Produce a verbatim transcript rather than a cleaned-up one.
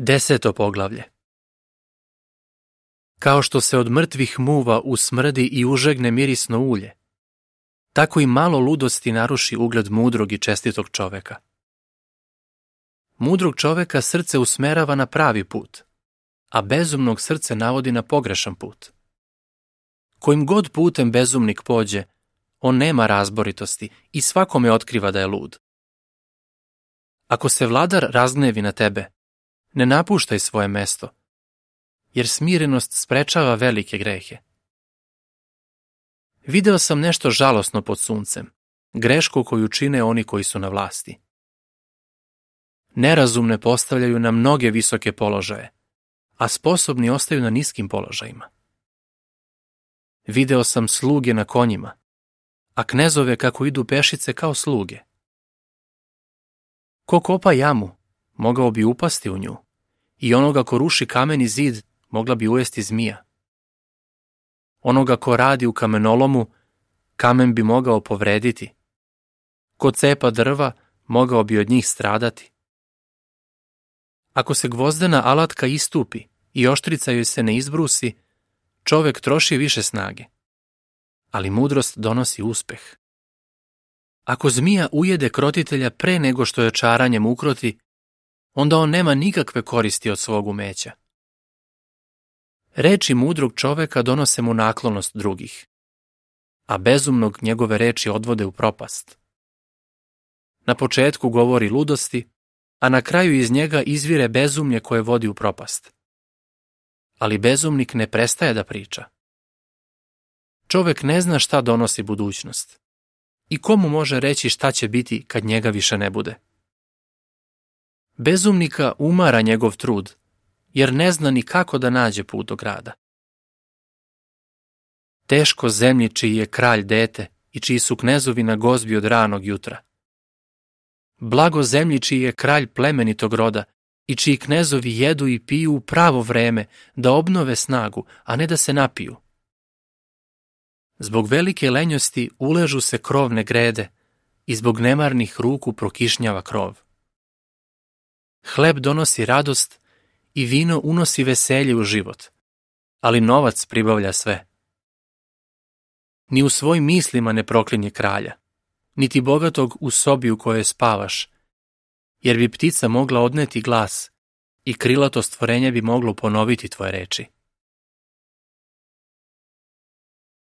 Deseto poglavlje. Kao što se od mrtvih muva usmrdi i užegne mirisno ulje, tako i malo ludosti naruši ugled mudrog i čestitog čoveka. Mudrog čoveka srce usmerava na pravi put, a bezumnog srce navodi na pogrešan put. Kojim god putem bezumnik pođe, on nema razboritosti i svakome otkriva da je lud. Ako se vladar razgnevi na tebe, ne napuštaj svoje mesto, jer smirenost sprečava velike grehe. Video sam nešto žalosno pod suncem, grešku koju čine oni koji su na vlasti. Nerazumne postavljaju na mnoge visoke položaje, a sposobni ostaju na niskim položajima. Video sam sluge na konjima, a knezove kako idu pešice kao sluge. Ko kopa jamu, mogao bi upasti u nju, i onoga ko ruši kameni zid, mogla bi ujesti zmija. Onoga ko radi u kamenolomu, kamen bi mogao povrediti. Ko cepa drva, mogao bi od njih stradati. Ako se gvozdena alatka istupi i oštrica joj se ne izbrusi, čovek troši više snage, ali mudrost donosi uspeh. Ako zmija ujede krotitelja pre nego što je čaranjem ukroti, onda on nema nikakve koristi od svog umeća. Reči mudrog čoveka donose mu naklonost drugih, a bezumnog njegove reči odvode u propast. Na početku govori ludosti, a na kraju iz njega izvire bezumlje koje vodi u propast. Ali bezumnik ne prestaje da priča. Čovek ne zna šta donosi budućnost i komu može reći šta će biti kad njega više ne bude. Bezumnika umara njegov trud, jer ne zna ni kako da nađe put do grada. Teško zemlji čiji je kralj dete i čiji su knezovi na gozbi od ranog jutra. Blago zemlji čiji je kralj plemenitog roda i čiji knezovi jedu i piju u pravo vreme da obnove snagu, a ne da se napiju. Zbog velike lenjosti uležu se krovne grede i zbog nemarnih ruku prokišnjava krov. Hleb donosi radost i vino unosi veselje u život, ali novac pribavlja sve. Ni u svojim mislima ne proklinje kralja, niti bogatog u sobi u kojoj spavaš, jer bi ptica mogla odneti glas i krilato stvorenje bi moglo ponoviti tvoje reči.